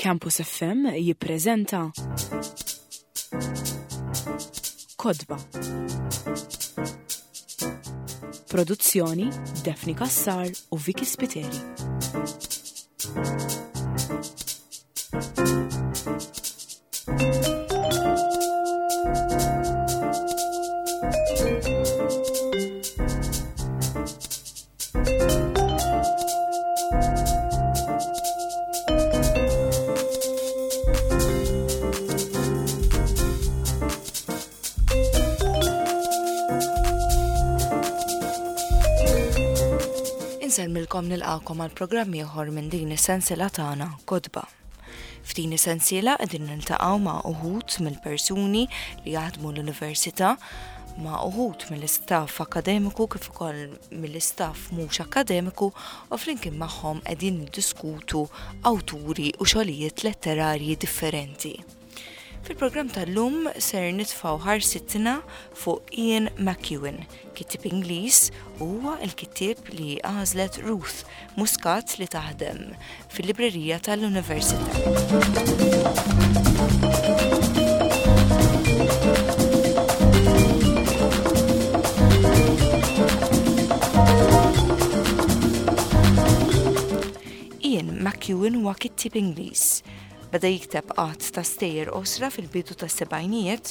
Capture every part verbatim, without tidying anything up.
Campus F M jippreżenta Kotba. Produzzjoni Daphne Cassar u Vicky Spiteri. Insellmilkom, nilqakom għal programm ieħor minn din is-sensiela tagħna Kotba. F'din is-sensiela qegħdin niltaqgħu ma' uħud mill-persuni li jaħdmu l-università, ma' uħud mill-istaff akademiku kif ukoll mill-istaff mhux akademiku, u flimkien magħhom qegħdin niddiskutu awturi u xogħlijiet letterarji differenti. Fil-programm tal-lum ser nitfaw ħarsitna fuq Ian McEwan, kittieb Ingliż, u huwa l-kittieb li għażlet Ruth Muscat li taħdem fil-librerija tal-Università. Ian McEwan huwa kittieb Ingliż. Beda jikteb għadd ta' stejjer qosra fil-bidu ta' sebgħinijiet.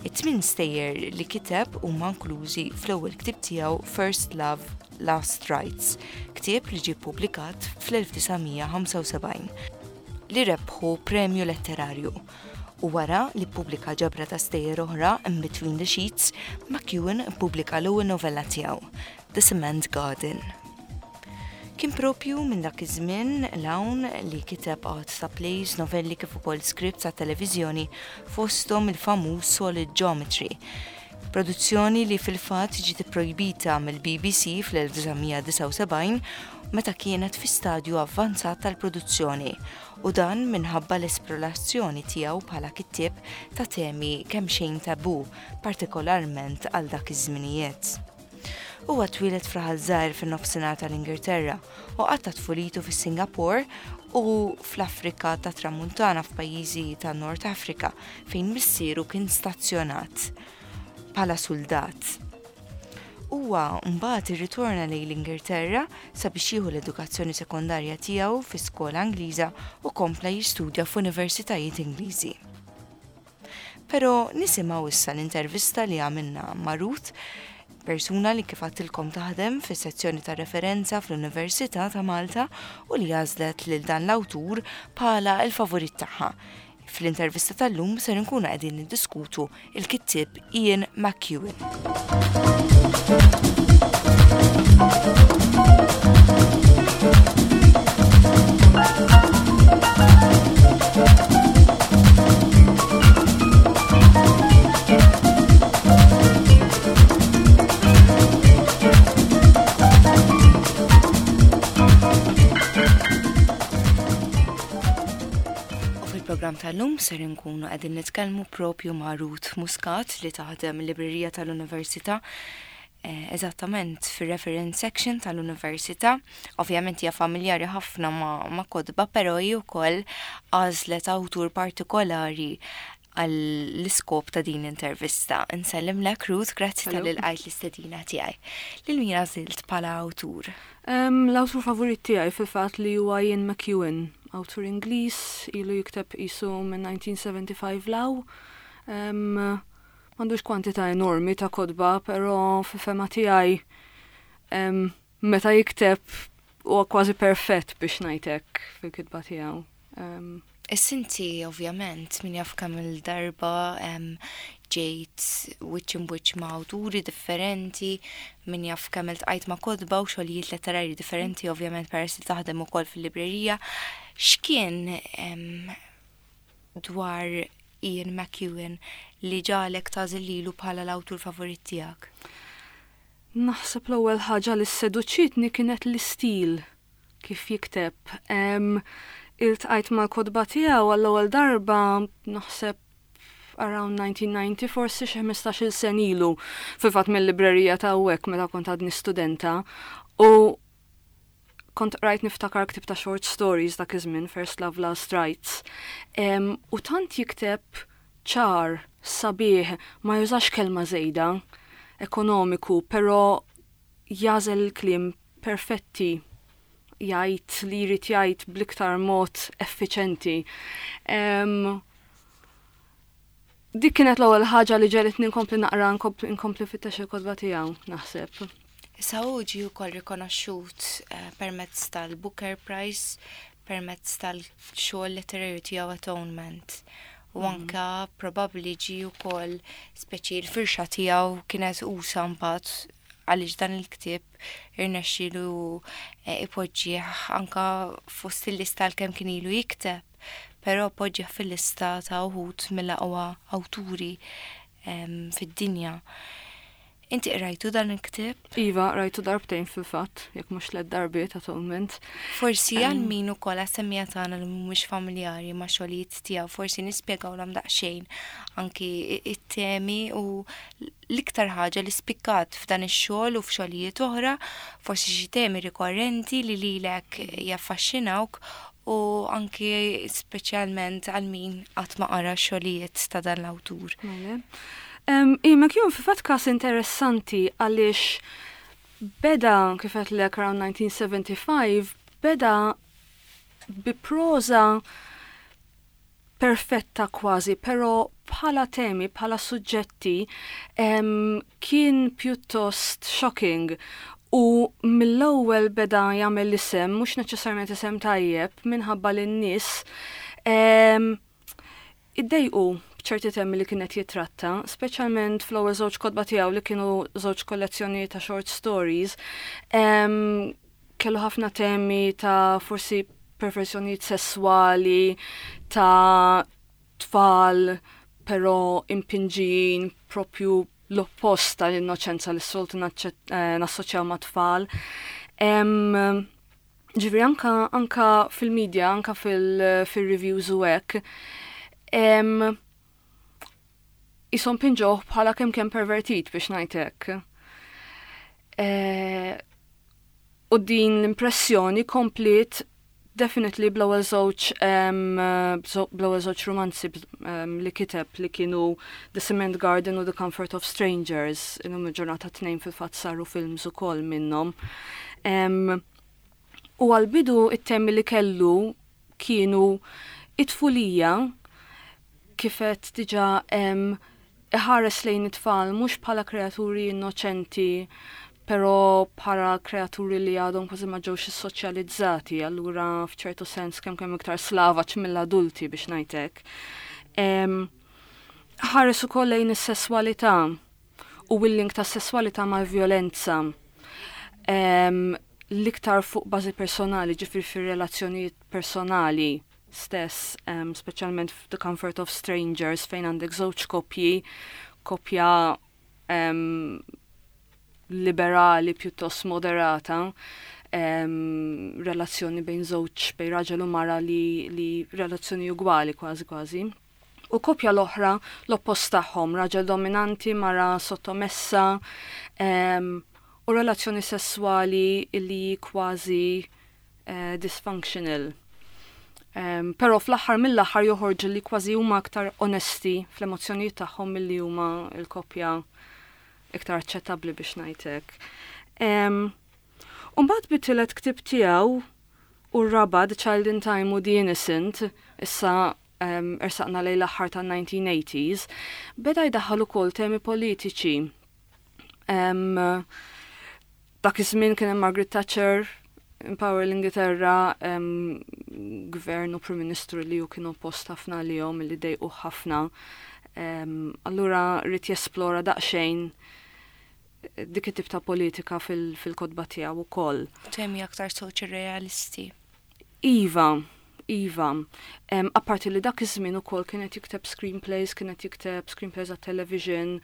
It-tmien stejjer li kiteb huma inklużi fl-ewwel ktieb tiegħu First Love, Last Rites, ktieb li ġie ppubblikat fl-elf disa' mija ħamsa u sebgħin li rebħu premju letterarju. U wara li ppubblika ġabra ta' stejjer oħra In Between the Sheets, McEwan ppubblika l-ewwel novella tiegħu, The Cement Garden. Kien propju minn dak iż-żmien 'l hawn li kiteb għadd ta' plays, novelli kif ukoll scripts ta' televiżjoni, fosthom il-famuż Solid Geometry. Produzzjoni li fil-fatt ġiet ipprojbita mill-B B C fl-elf disa' mija disgħa u sebgħin meta kienet fi stadju avvanzat tal-produzzjoni, u dan minħabba l-esplorazzjoni tiegħu bħala kittieb ta' temi kemm xejn tabu, partikolarment għal dak iż-żminijiet. Huwa twieled f'raħal żgħir fin-nofsinhar tal-Ingilterra u qatta tfulitu fis-Singapore u fl-Afrika ta' Tramuntana, f'pajjiżi ta' Nord Afrika fejn missieru kien stazzjonat bħala soldat. Huwa mbagħad irritorna lejn l-Ingilterra sabiex jieħu l-edukazzjoni sekondarja tiegħu fi skola Ingliża u kompla jistudja f'universitajiet Ingliżi. Però nisimgħu issa l-intervista li għamilna ma' Ruth, persuna li kif għedtilkom taħdem fis sezzjoni ta' referenza fl-Università ta' Malta u li għażlet lil dan l-awtur bħala il-favorit tagħha. Fl-intervista tal-lum ser nkunu qegħdin niddiskutu il-kittieb Ian McEwan. U fil-programm tal-lum ser nkunu qegħdin nitkellmu propju ma' Ruth Muscat li taħdem il-librerija tal-Università, eh, eżattament fir-reference section tal-Università. Ovvjament hija familjari ħafna ma', ma kotba, però hi wkoll għażlet awtur partikolari għall-iskop ta' din l-intervista. Insellimlek, Ruth, grazzi Hello. talli lqajt l-istedina tiegħi. Lil min għażilt bħala awtur? Um, l-awtur favorit tiegħi fil-fatt li huwa Ian McEwan, awtur Ingliż, ilu jikteb isu minn elf disa' mija sebgħa u ħamsin 'l hawn. Um, M'għandux kwantità enormi ta' kotba, però fil-fehma tiegħi um, meta jikteb huwa kważi perfett, biex ngħidlek, fil-kitba tiegħu. Um, Issa inti ovvjament min jaf kemm il-darba em, ġejt wiċċ imb wiċċ ma' awturi differenti, min jaf kemm iltqajt ma' kotba u xogħlijiet letterarji differenti, ovvjament peress li taħdem ukoll fil-librerija. X'kien em, dwar Ian McEwan li ġagħlek tagħżel lilu bħala l-awtur favorit tiegħek? Naħseb l-ewwel ħaġa li seduċitni kienet l-istil kif jikteb. Um, iltqajt mal-kotba tiegħu għall-ewwel darba naħseb around nineteen ninety, forsi xi ħmistax-il sena ilu, fil-fatt mill-librerija ta' hawnhekk meta kont għadni studenta, u Kont rajt niftakar ktib ta' short stories dak iż-żmien, First Love Last Rites. Um, u tant jikteb ċar, sabiħ, ma jużax kelma żejda, ekonomiku, però jagħżel il-kliem perfetti, jgħid li jrid jgħid bl-iktar mod effiċenti. Um, dik kienet l-ewwel ħaġa li ġegħlitni nkompli naqra, nkompli nfittex il-kotba tiegħu, naħseb. Issa hu ġie wkoll rikonoxxut eh, permezz tal-Booker Prize, permezz tal-xogħol letterarju tiegħu Atonement. U mm. anka probabbli ġie wkoll speċi l-firxa tiegħu kienet usa mbagħad għaliex dan il-ktieb irnexxielu eh, ipoġġih anka fost il-lista l-kemm kien ilu jikteb, però poġġih fil-lista ta' uħud mill-aqwa awturi fid-dinja. Inti rajtu dan il-ktieb? Iva, rajtu darbtejn fil-fatt, jekk mhux tliet darbiet Atonement. Forsi għal min ukoll għas-semmiegħa tagħna li mhumiex familjari ma' xogħlijiet tiegħu, forsi nispjegawlhom daqsxejn anki it-temi u l-iktar ħaġa li spikkat f'dan ix-xogħol u f'xogħlijiet oħra, forsi xi temi rikorrenti li lilek jaffaxxinawk u anki speċjalment għal min qatt ma qara xogħlijiet ta' dan l-awtur. Mela. Um, McEwan fil-fatt kas interessanti għaliex beda, kif għedtlek, around nineteen seventy-five, beda bi proza perfetta kważi, pero bħala temi, bħala suġġetti, um, kien pjuttost shocking. U mill-ewwel beda jagħmel l-isem, mhux neċessarjament isem tajjeb, minħabba li n-nies um, iddejqu b'ċerti temi li kienet jitratta, speċjalment fl-ewwel żewġ kotba tiegħu li kienu żewġ kollezzjoni ta' short stories. Um, kellu ħafna temi ta' forsi perversjonijiet sessuali, ta' tfal, però impinġijin propju l-oppost tal-innoċenza li s-soltu eh, nassoċjaw ma' tfal. Um, ġifieri anka, anka fil-media, anka fil-reviews u hekk, um, jisom pinġoh bħala kemm kemm pervertit, biex ngħidlek. E, u din l-impressjoni kompliet definitely bl-ewwel żewġ bl-ewwel żewġ romanzi um, li kiteb, li kienu The Cement Garden u The Comfort of Strangers. Illum il-ġurnata tnejn fil-fatt saru films ukoll minnhom. Um, u għal-bidu it-temi li kellu kienu it-tfulija, kif għedt diġà, iħares lejn it-tfal mhux bħala kreaturi innoċenti, però bħala kreaturi li għadhom kważi ma ġewx soċjalizzati, allura f'ċertu sens kemm kemm iktar slavaġ mill-adulti, biex ngħidlek. Ħares ukoll lejn is-sesswalità u il-link ta' sesswalità mal-vjolenza. L-iktar fuq bażi personali, ġifieri fir-relazzjonijiet personali stess, um, speċjalment f'The Comfort of Strangers, fejn għandek żewġ koppji, koppja um, liberali pjuttost moderata, um, relazzjoni bejn żewġ, bejn raġel u mara li, li relazzjoni ugwali kważi kważi. U koppja l-oħra l-oppost tagħhom, raġel dominanti, mara sottomessa, um, u relazzjoni sessuali li kważi uh, dysfunctional. Um, pero fl-aħħar mill-aħħar joħorġu li kważi huma aktar onesti fl-emozzjonijiet tagħhom milli huma l-koppja iktar aċċettabbli, biex ngħidlek. Um, Umbagħad bit-tielet ktib tiegħu u r-raba', The Child in Time u The Innocent, issa um, ersaqna lejn l-aħħar tan-nineteen eighties, beda jdaħħal ukoll temi politiċi. Um, dak iż-żmien kien hemm Margaret Thatcher in power l-Ingilterra, um, gvern u prim ministru li ju kienu oppost ħafna li jom li dejqu ħafna. Um, allura ried jesplora daqsxejn dik it-tip ta' politika fil-kotba tiegħu ukoll. Temi aktar soċrealisti. Iva, iva. Um, apparti li dak iż-żmien ukoll kienet jikteb screenplays, kienet jikteb screenplays għat-television,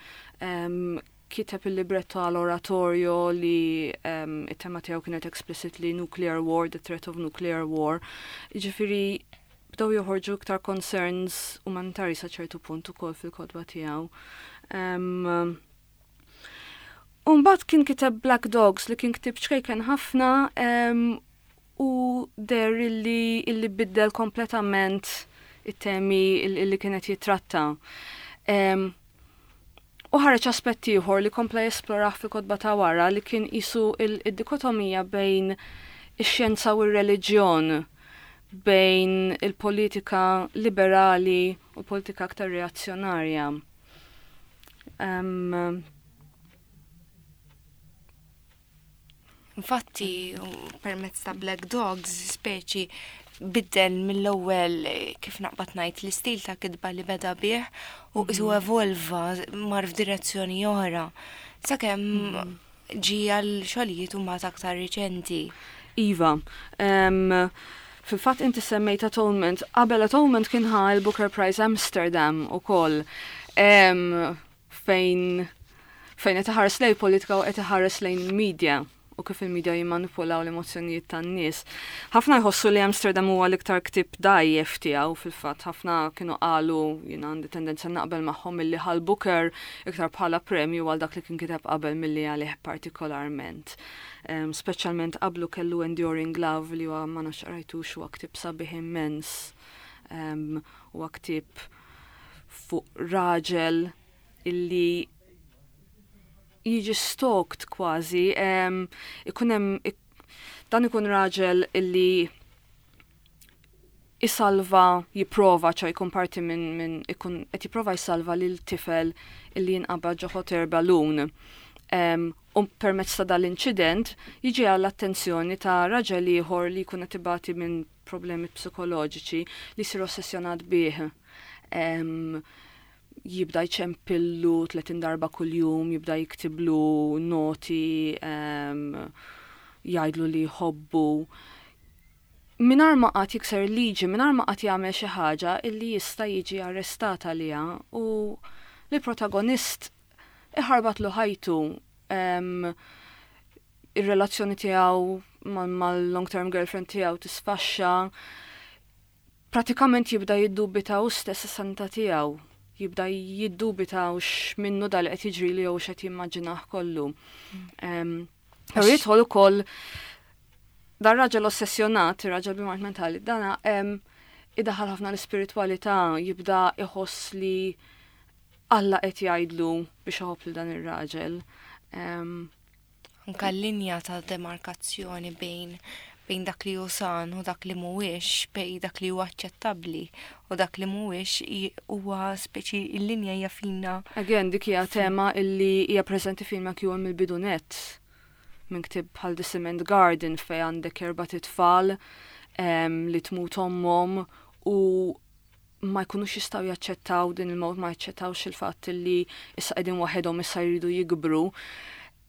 um, kiteb il-libretto għal oratorio li um, it-tema tiegħu kienet explicitly nuclear war, the threat of nuclear war. Ġifieri bdew joħorġu iktar concerns umanitari sa ċertu punt ukoll fil-kotba tiegħu. Um, Umbagħad kien kiteb Black Dogs, li kien ktib ċkejken ħafna um, U deher illi, illi biddel kompletament it-temi illi kienet jitratta. Um, U ħareġ aspett ieħor li kompla jesplorah fil-kotba ta' wara li kien qisu il-dikotomija bejn ix-xjenza u r-reliġjon, bejn il-politika liberali u politika aktar reazzjonarja. Um, Infatti, permezz ta' Black Dogs, speċi biddel mill-ewwel kif naqbad ngħid l-istil ta' kitba li beda bih u qisu mhm. evolva mar f'direzzjoni oħra. Sakemm mhm. ġie għal xogħlijiet huma aktar riċenti. Iva, um, fil-fatt inti semmejt Atonement, qabel Atonement kien ħa il-Booker Prize Amsterdam ukoll. Um, fejn fejn qed iħares lejn politika u qed iħares lejn il-media u kif il-media jimmanipulaw l-emozzjonijiet tan-nies. Ħafna jħossu li Amsterdam huwa l-iktar ktieb dgħajjef tiegħu fil-fatt, ħafna kienu qalu, jiena għandi tendenza naqbel magħhom milli ħa l-Booker iktar bħala premju għal dak li kien kiteb qabel milli għalih partikolarment. Um, speċjalment qablu kellu Enduring Love li huwa ma nafx qrajtux huwa ktieb sabiħ immens. Um, huwa ktieb fuq raġel illi jiġi stalked kważi, ikun hemm dan ikun raġel illi isalva, jipprova, ċa jkun parti minn min, ikun qed jipprova jsalva lil tifel illi jinqabad ġo hot air balloon. Um, u permezz ta' dal-inċident jiġi għall-attenzjoni ta' raġel ieħor li jkun qed ibati minn problemi psikoloġiċi li jsir ossessjonat bih. Um, jibda jċempillu tletin darba kuljum, jibda jiktiblu noti, um, jgħidlu li jħobbu. Mingħajr ma qatt jikser liġi, mingħajr ma qatt jagħmel xi ħaġa illi jista' jiġi arrestat għaliha u l-protagonist iħarbatlu ħajtu um, ir-relazzjoni tiegħu mal-long term girlfriend tiegħu tisfaxxa, pratikament jibda jiddubita hu stess is-sanità tiegħu, jibda jiddubita u x'minnu dal qed jiġri li jew x'qed jimmaġinah kollu. Um, Però jidħol ukoll dar raġel ossessjonat, ir-raġel b'mard mentali, dana um, idaħal ħafna l-ispiritwalità, jibda iħoss li Alla qed jgħidlu biex iħobb lil dan ir-raġel. Um, Anka l-linja ta' demarkazzjoni bejn bejn dak li hu san u dak li mhuwiex, bejn dak li huwa aċċettabbli u dak li mhuwiex huwa speċi l-linja hija fina. Again, dik hija tema illi hija preżenti fil McEwan mill-bidu nett. Minn ktieb bħal The Cement Garden fej għandek erba' tfal um, li tmut ommhom u ma jkunux jistgħu jaċċettaw din il-mewt, ma jaċċettawx il-fatt li issa qegħdin waħedhom issa jridu jikbru.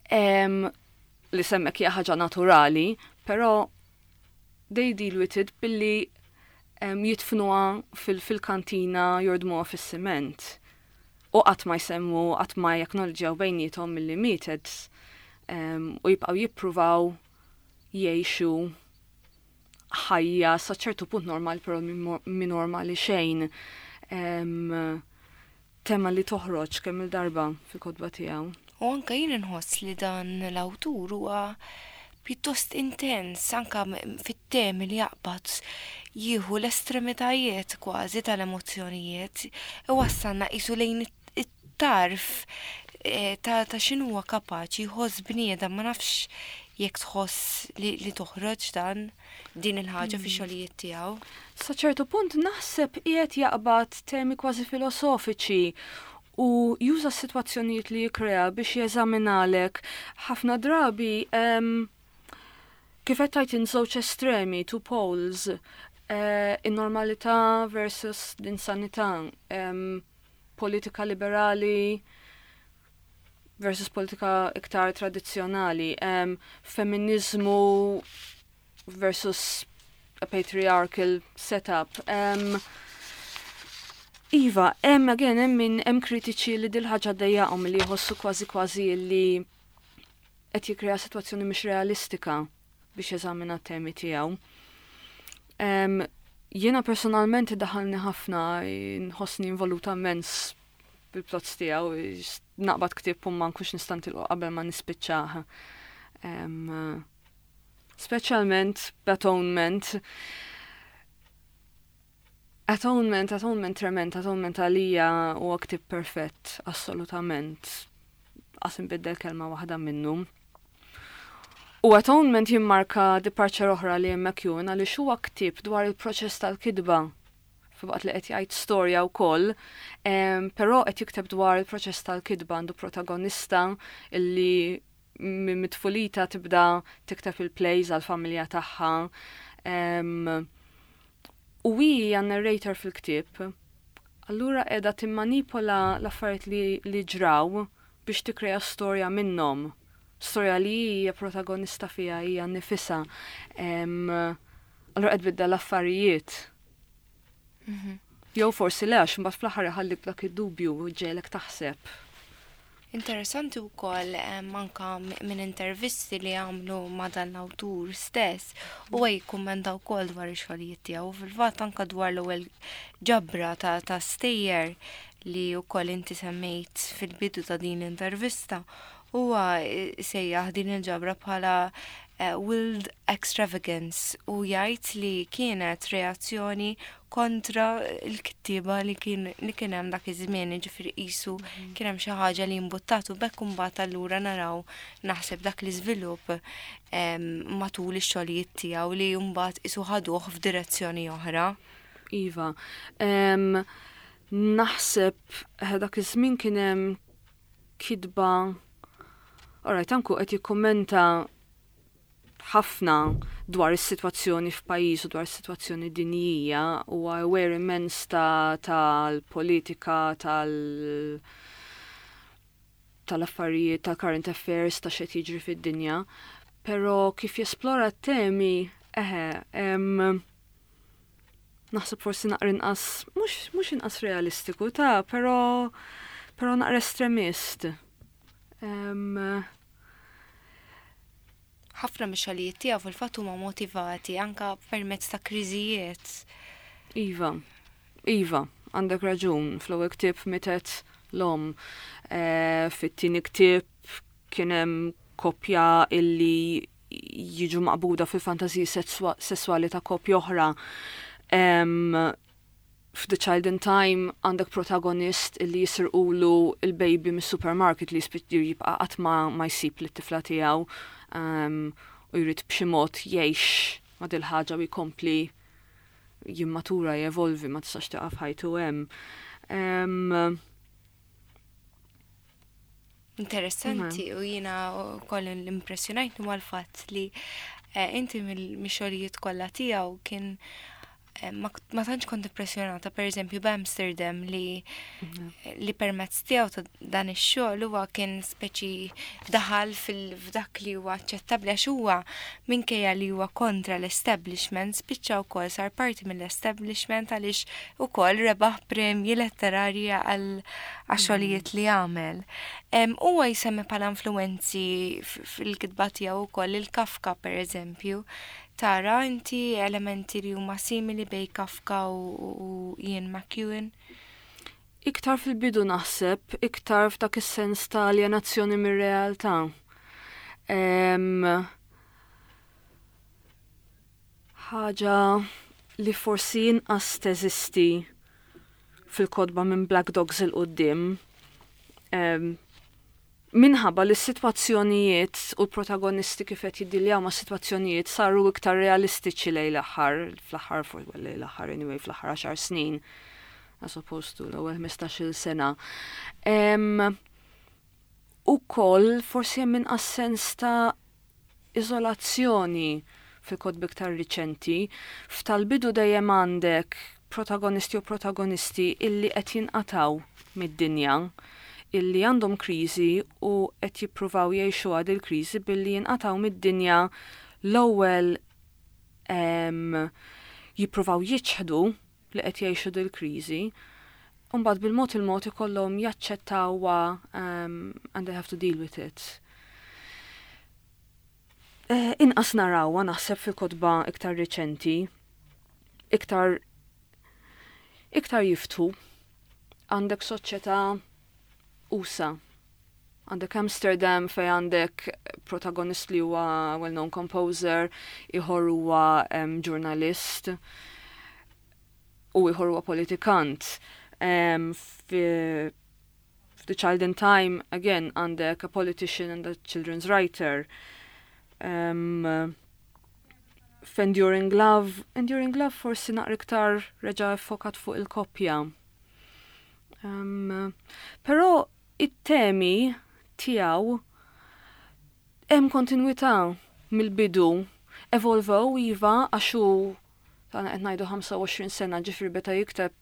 Um, li semmek hija ħaġa naturali, però they deal with it billi um, jidfnuha fil-kantina jordmuha fis-siment. U qatt ma jsemmu, qatt ma jacknowledgew bejniethom milli mietet um, u jibqgħu jippruvaw jgħixu ħajja sa ċertu punt normal, però mi normali xejn. Um, tema li toħroġ kemm il-darba fil-kotba tiegħu. U anka jien inħoss li dan l-awtur huwa pjuttost intens anka fit-temi li jaqbad jieħu l-estremitajiet kważi tal-emozzjonijiet iwassalna qisu lejn it-tarf eh, ta' ta' x'inhuwa kapaċi jħoss bniedem ma nafx jekk tħoss li, li toħroġ dan din il-ħaġa fi xogħlijiet tiegħu. Sa ċertu punt naħseb qiegħed jaqbad temi kważi filosofiċi u juża s-sitwazzjonijiet li jikrea biex jeżaminalek ħafna drabi um, kif qed tgħid żewġ estremi, two poles, uh, in-normalità versus l-insanità, um, politika liberali versus politika iktar tradizzjonali, um, feminizmu versus a patriarchal setup. Um, Iva, hemm again hemm min hemm kritiċi li dil ħaġa dejjaqhom li jħossu kważi kważi li qed jikkrea sitwazzjoni mhix realistika biex jeżamina t-temi tiegħu. Um, jiena personalment daħalni ħafna, nħossni involuta immens bil-plots tiegħu, naqbad ktieb u ma nkunx nista' nitilqu qabel ma nispiċċah. Um, Speċjalment Atonement. Atonement, Atonement trement, Atonement għalija huwa ktieb perfett, assolutament. Qas inbiddel kelma waħda minnu. U Atonement jimmarka departure oħra li McEwan għaliex huwa ktieb dwar il-proċess tal-kitba filwaqt li qed jgħid storja wkoll, però qed jikteb dwar il-proċess tal-kitba għandu protagonista illi minn tfulitha tibda tikteb il-plays għal-familja tagħha. U hija narrator fil-ktieb. Allura qiegħda timmanipola l-affarijiet li, li ġraw biex tikkrea storja minnhom. Storja li hija protagonista fiha hija nifisha. Allura qed tbiddel l-affarijiet. Mhm. Jew forsi le għax mbagħad fl-aħħar iħallik dak id-dubju u ġegħlek taħseb. Interessanti wkoll anka minn intervisti li għamlu ma' dan l-awtur stess u jikkummenta wkoll dwar ix-xogħlijiet tiegħu fil-fatt anka dwar l-ewwel ġabra ta' ta' stejjer li wkoll inti semmejt fil-bidu ta' din l-intervista huwa sejjaħ din il-ġabra bħala eh, Wild Extravagance u jgħid li kienet reazzjoni kontra l-kittiba li kien li kien hemm dak iż-żmien, jiġifieri qisu mhm. kien hemm xi ħaġa li imbuttatu bekk imbagħad allura naraw naħseb dak l-iżvilupp matul ix-xogħlijiet tiegħu li mbagħad qisu ħaduh f'direzzjoni oħra. Iva, naħseb eh, dak iż-żmien kien hemm kitba Alright, anku qed jikkummenta ħafna dwar is-sitwazzjoni f'pajjiż u dwar is-sitwazzjoni dinjija u aware immens ta' tal-politika, tal- tal-affarijiet, tal-current affairs, ta' x'qed jiġri fid-dinja. Però kif jesplora t-temi, eħe, naħseb forsi naqra inqas, mhux inqas realistiku ta' però però naqra estremist. Um, ħafna mix-xogħlijiet tiegħu fil-fatt huma motivati anka permezz ta' kriżijiet. Iva, Iva, għandek raġun, fl-ewwel ktieb mietet l-omm, e, fit-tieni ktieb kien hemm koppja illi jiġu maqbuda fil-fantasiji sessuali ta' koppja oħra. F'The Child in Time għandek protagonist illi jisirqulu il-baby mis-supermarket li jibqa' qatt ma, ma jsib lit-tifla tiegħu um, u jrid b'xi mod jgħix ma' dil-ħaġa u jkompli jimmatura, jevolvi, ma tistax tieqaf ħajtu hemm. Um, Interessanti u jiena koll l-impressjonajt huwa l-fatt li eh, inti mill-xogħlijiet kollha tiegħu kien eh, ma ma tantx kont impressjonata per eżempju b'Amsterdam li li permezz tiegħu ta' dan ix-xogħol huwa kien speċi daħal fil-f'dak li huwa aċċettabbli għax huwa minkejja li huwa kontra l-establishment spiċċa wkoll sar parti mill-establishment għaliex ukoll rebaħ premji letterarji għal għax-xogħlijiet li għamel. Em, Huwa jsemmi bħala influenzi f- fil-kitba tiegħu wkoll il-Kafka per eżempju. Tara inti elementi li huma simili bejn Kafka u, u Ian McEwan? Iktar fil-bidu naħseb, iktar f'dak is-sens ta' alienazzjoni mir-realtà. Em, Ħaġa li forsi inqas teżisti fil-kotba minn Black Dogs 'il quddiem. Em, Minħabba li s-sitwazzjonijiet u l-protagonisti kif qed jiddiljaw ma' sitwazzjonijiet saru iktar realistiċi lejn l-aħħar, fl-aħħar, for- well, lejn l-aħħar anyway, fl-aħħar għaxar snin, as opposed to l-ewwel ħmistax-il sena. Em, Ukoll forsi hemm inqas sens ta' iżolazzjoni fil-kotba iktar riċenti. F'tal-bidu dejjem għandek protagonisti u protagonisti illi qed jinqataw mid-dinja, illi għandhom kriżi u qed jippruvaw jgħixu għad il-kriżi billi jinqataw mid-dinja l-ewwel em, jippruvaw jiċħdu li qed jgħixu dil-kriżi, u mbagħad bil-mod il-mod ikollhom jaċċettawha um, and they have to deal with it. Eh, Inqas narawha naħseb fil-kotba iktar riċenti, iktar iktar jiftħu. Għandek soċjetà usa', Għandek Amsterdam fej għandek protagonist li huwa well-known composer, ieħor huwa um, ġurnalist u ieħor huwa politikant. Um, fi The Child in Time, again, għandek a politician and a children's writer. Um, F'Enduring Love, Enduring Love forsi naqra iktar reġa' ffokat fuq il-koppja. Um, però it-temi tiegħu hemm kontinwità mill-bidu. Evolvew iva, għax hu tana qed ngħidu ħamsa u għoxrin sena, ġifieri beda jikteb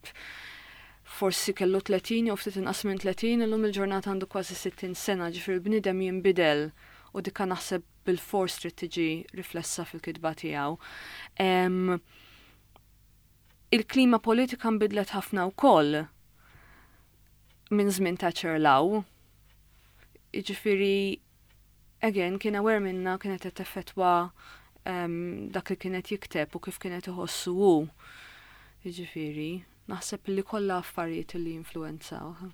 forsi kellu tletin jew ftit inqas minn tletin, illum il-ġurnata għandu kważi sittin sena, ġifieri bniedem jinbidel u dikka naħseb bil-fors trid tiġi riflessa fil-kitba tiegħu. Il-klima politika nbidlet ħafna wkoll minn żmien Thatcher 'l hawn. Jiġifieri, again, kien aware minna, kienet qed teffettwa um, dak li kienet jikteb u kif kienet iħossu hu. Jiġifieri, naħseb li kollha affarijiet li influenzaw.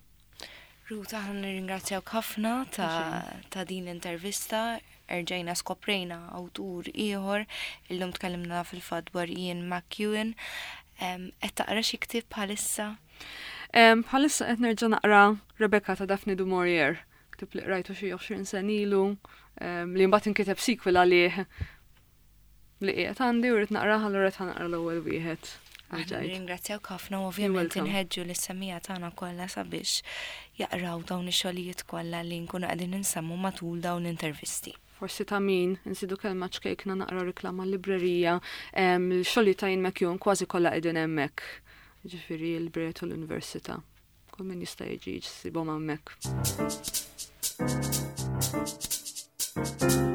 Ruth, aħna nirringrazzjawk ħafna ta', ta' din l-intervista. Erġajna skoprejna awtur ieħor, illum tkellimna fil-fatt dwar Ian McEwan. Qed taqra xi ktieb bħalissa? Bħalissa qed nerġa' naqra Rebecca ta' Daphne du Maurier, ktieb li qrajtu xi għoxrin sena ilu, li mbagħad inkiteb sequel għalih li qiegħed għandi u rrid naqra, allura qed naqra l-ewwel wieħed. Ringrazzjawk ħafna u ovvjament inħeġġu lis-semmiegħa tagħna kollha sabiex jaqraw dawn ix-xogħlijiet kollha li nkunu qegħdin insemmu matul dawn l-intervisti. Forsi ta' min insidu kelma ċkejkna, naqra riklama librerija, il-xogħlijiet ta' Ian McEwan kważi kollha qegħdin hemmhekk. Ġifieri l-librerija tal-Università. Kull min jista' jiġi jsibhom hemmhekk. Thank you.